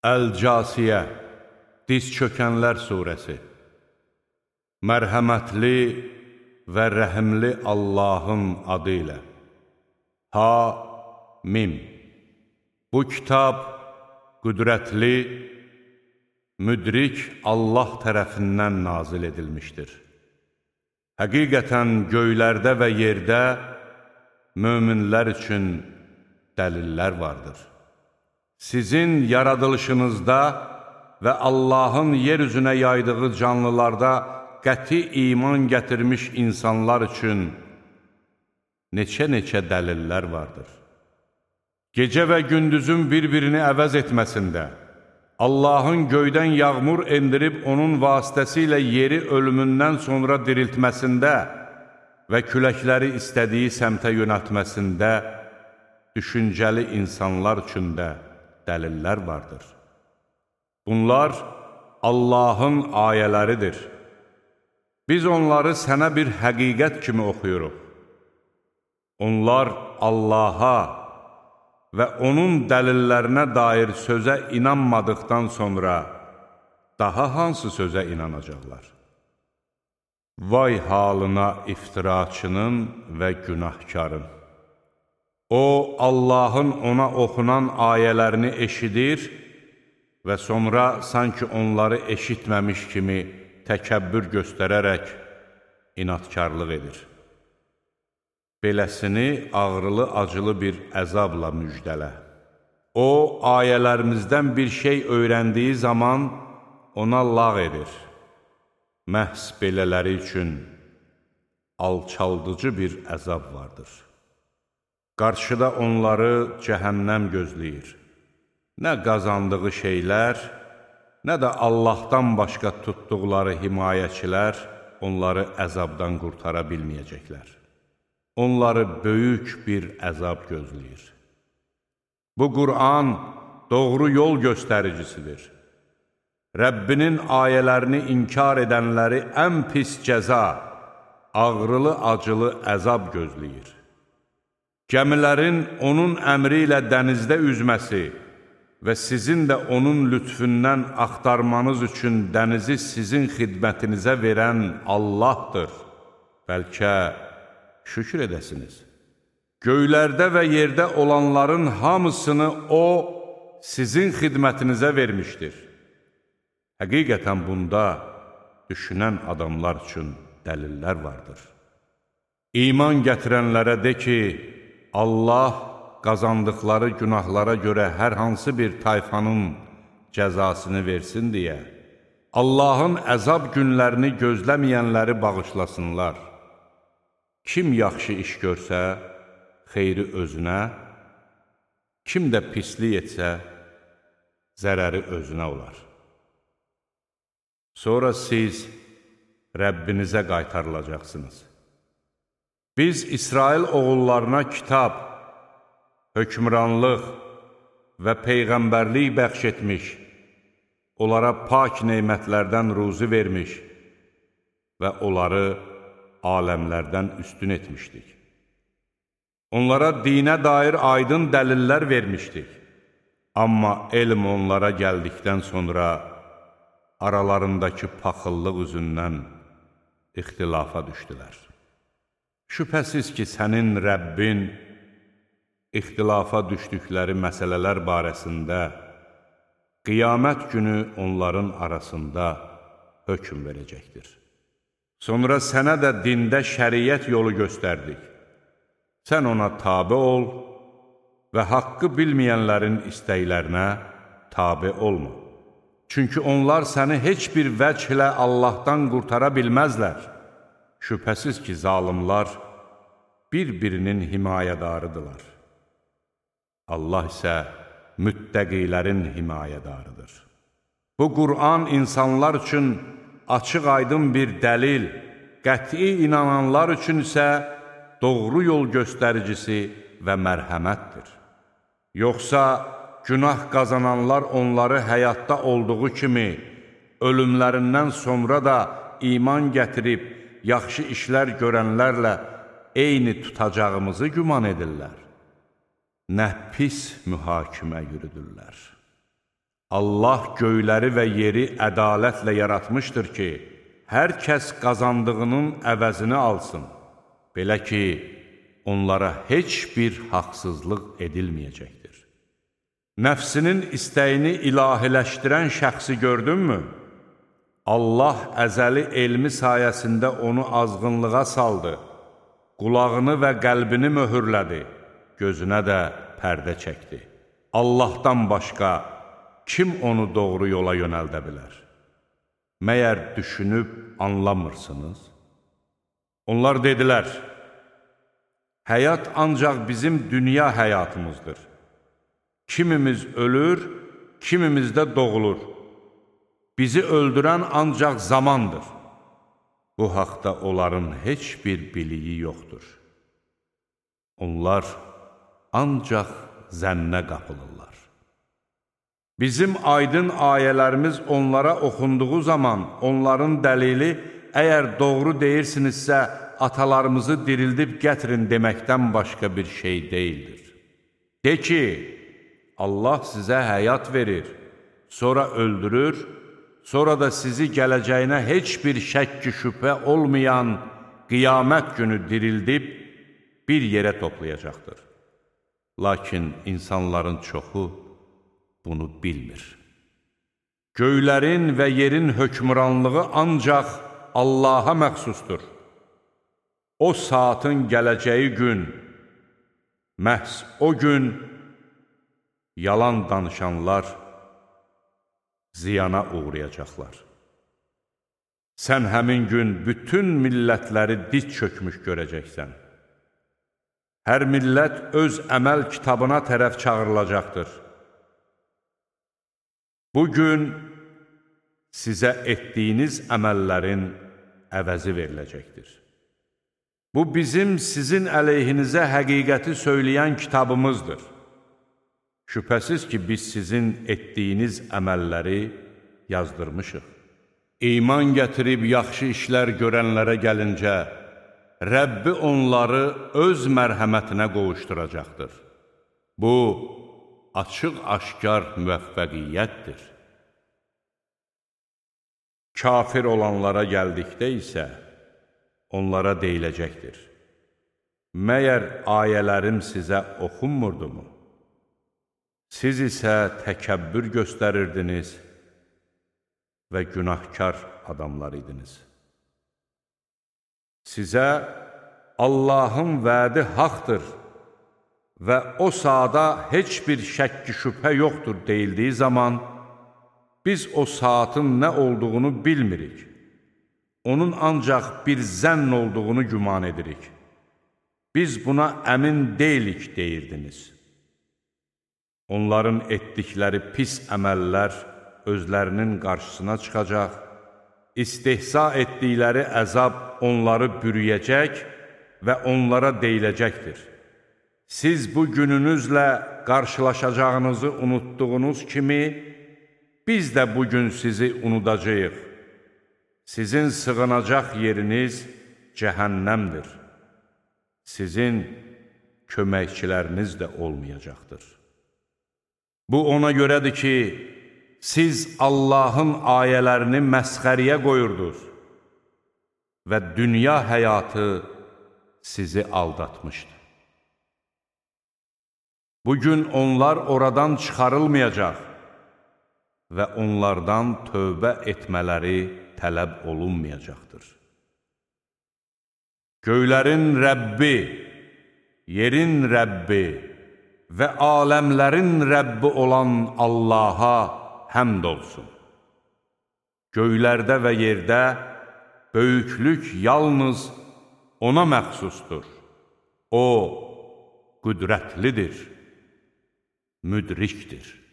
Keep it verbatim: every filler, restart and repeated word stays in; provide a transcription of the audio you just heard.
Əl-Casiyə, Diz çökənlər surəsi. Mərhəmətli və rəhimli Allahın adı ilə. Ha-Mim. Bu kitab qüdrətli, müdrik Allah tərəfindən nazil edilmişdir. Həqiqətən göylərdə və yerdə möminlər üçün dəlillər vardır. Sizin yaradılışınızda və Allahın yer üzünə yaydığı canlılarda qəti iman gətirmiş insanlar üçün neçə-neçə dəlillər vardır. Gecə və gündüzün bir-birini əvəz etməsində, Allahın göydən yağmur endirib onun vasitəsilə yeri ölümündən sonra diriltməsində və küləkləri istədiyi səmtə yönəltməsində düşüncəli insanlar üçün də dəlillər vardır. Bunlar Allahın ayələridir. Biz onları sənə bir həqiqət kimi oxuyuruq. Onlar Allaha və onun dəlillərinə dair sözə inanmadıqdan sonra daha hansı sözə inanacaqlar? Vay halına iftiraçının və günahkarın! O, Allahın ona oxunan ayələrini eşidir və sonra sanki onları eşitməmiş kimi təkəbbür göstərərək inatkarlıq edir. Beləsini ağrılı-acılı bir əzabla müjdələ. O, ayələrimizdən bir şey öyrəndiyi zaman ona lağ edir. Məhz belələri üçün alçaldıcı bir əzab vardır. Qarşıda onları cəhənnəm gözləyir. Nə qazandığı şeylər, nə də Allahdan başqa tutduqları himayəçilər onları əzabdan qurtara bilməyəcəklər. Onları böyük bir əzab gözləyir. Bu Qur'an doğru yol göstəricisidir. Rəbbinin ayələrini inkar edənləri ən pis cəza, ağrılı-acılı əzab gözləyir. Gəmilərin onun əmri ilə dənizdə üzməsi və sizin də onun lütfündən axtarmanız üçün dənizi sizin xidmətinizə verən Allahdır. Bəlkə şükür edəsiniz. Göylərdə və yerdə olanların hamısını O, sizin xidmətinizə vermişdir. Həqiqətən bunda düşünən adamlar üçün dəlillər vardır. İman gətirənlərə de ki, Allah qazandıqları günahlara görə hər hansı bir tayfanın cəzasını versin deyə, Allahın əzab günlərini gözləməyənləri bağışlasınlar. Kim yaxşı iş görsə, xeyri özünə, kim də pislik etsə, zərəri özünə olar. Sonra siz Rəbbinizə qaytarılacaqsınız. Biz İsrail oğullarına kitab, hökmranlıq və peyğəmbərlik bəxş etmiş, onlara pak neymətlərdən ruzi vermiş və onları aləmlərdən üstün etmişdik. Onlara dinə dair aydın dəlillər vermişdik. Amma elm onlara gəldikdən sonra aralarındakı paxıllıq üzündən ixtilafa düşdülər. Şübhəsiz ki, sənin Rəbbin ixtilafa düşdükləri məsələlər barəsində qiyamət günü onların arasında hökm verəcəkdir. Sonra sənə də dində şəriət yolu göstərdik. Sən ona tabe ol və haqqı bilməyənlərin istəklərinə tabe olma. Çünki onlar səni heç bir vəclə Allahdan qurtara bilməzlər. Şübhəsiz ki, zalimlar bir-birinin himayədarıdırlar. Allah isə müttəqilərin himayədarıdır. Bu Qur'an insanlar üçün açıq-aydın bir dəlil, qəti inananlar üçün isə doğru yol göstəricisi və mərhəmətdir. Yoxsa günah qazananlar onları həyatda olduğu kimi, ölümlərindən sonra da iman gətirib, yaxşı işlər görənlərlə eyni tutacağımızı güman edirlər. Nə pis mühakimə yürüdürlər. Allah göyləri və yeri ədalətlə yaratmışdır ki, hər kəs qazandığının əvəzini alsın. Belə ki, onlara heç bir haqsızlıq edilməyəcəkdir. Nəfsinin istəyini ilahiləşdirən şəxsi gördünmü? Allah əzəli elmi sayəsində onu azğınlığa saldı, qulağını və qəlbini möhürlədi, gözünə də pərdə çəkdi. Allahdan başqa kim onu doğru yola yönəldə bilər? Məyər düşünüb anlamırsınız? Onlar dedilər, həyat ancaq bizim dünya həyatımızdır. Kimimiz ölür, kimimiz də doğulur. Bizi öldürən ancaq zamandır. Bu haqda onların heç bir biliyi yoxdur. Onlar ancaq zənnə qapılırlar. Bizim aydın ayələrimiz onlara oxunduğu zaman onların dəlili, əgər doğru deyirsinizsə, atalarımızı dirildib gətirin deməkdən başqa bir şey deyildir. De ki, Allah sizə həyat verir, sonra öldürür, sonra da sizi gələcəyinə heç bir şəkki şübhə olmayan qiyamət günü dirildib bir yerə toplayacaqdır. Lakin insanların çoxu bunu bilmir. Göylərin və yerin hökmranlığı ancaq Allaha məxsusdur. O saatın gələcəyi gün, məhz o gün yalan danışanlar ziyana uğrayacaqlar. Sən həmin gün bütün millətləri diz çökmüş görəcəksən. Hər millət öz əməl kitabına tərəf çağırılacaqdır. Bugün sizə etdiyiniz əməllərin əvəzi veriləcəkdir. Bu bizim sizin əleyhinizə həqiqəti söyləyən kitabımızdır. Şübhəsiz ki, biz sizin etdiyiniz əməlləri yazdırmışıq. İman gətirib yaxşı işlər görənlərə gəlincə, Rəbbi onları öz mərhəmətinə qovuşturacaqdır. Bu, açıq-aşkar müvəffəqiyyətdir. Kafir olanlara gəldikdə isə, onlara deyiləcəkdir. Məyər ayələrim sizə oxunmurdumu? Siz isə təkəbbür göstərirdiniz və günahkar adamlar idiniz. Sizə Allahın vədi haqdır və o saata heç bir şəkki şübhə yoxdur deyildiyi zaman, biz o saatın nə olduğunu bilmirik. Onun ancaq bir zənn olduğunu güman edirik. Biz buna əmin deyilik deyirdiniz. Onların etdikləri pis əməllər özlərinin qarşısına çıxacaq, istehza etdikləri əzab onları bürüyəcək və onlara deyiləcəkdir. Siz bu gününüzlə qarşılaşacağınızı unutduğunuz kimi, biz də bugün sizi unudacağıq. Sizin sığınacaq yeriniz cəhənnəmdir. Sizin köməkçiləriniz də olmayacaqdır. Bu ona görədir ki, siz Allahın ayələrini məsxəriyə qoyurdunuz və dünya həyatı sizi aldatmışdı. Bugün onlar oradan çıxarılmayacaq və onlardan tövbə etmələri tələb olunmayacaqdır. Göylərin Rəbbi, yerin Rəbbi və aləmlərin Rəbbi olan Allaha həmd olsun. Göylərdə və yerdə böyüklük yalnız ona məxsusdur. O, qüdrətlidir, müdrikdir.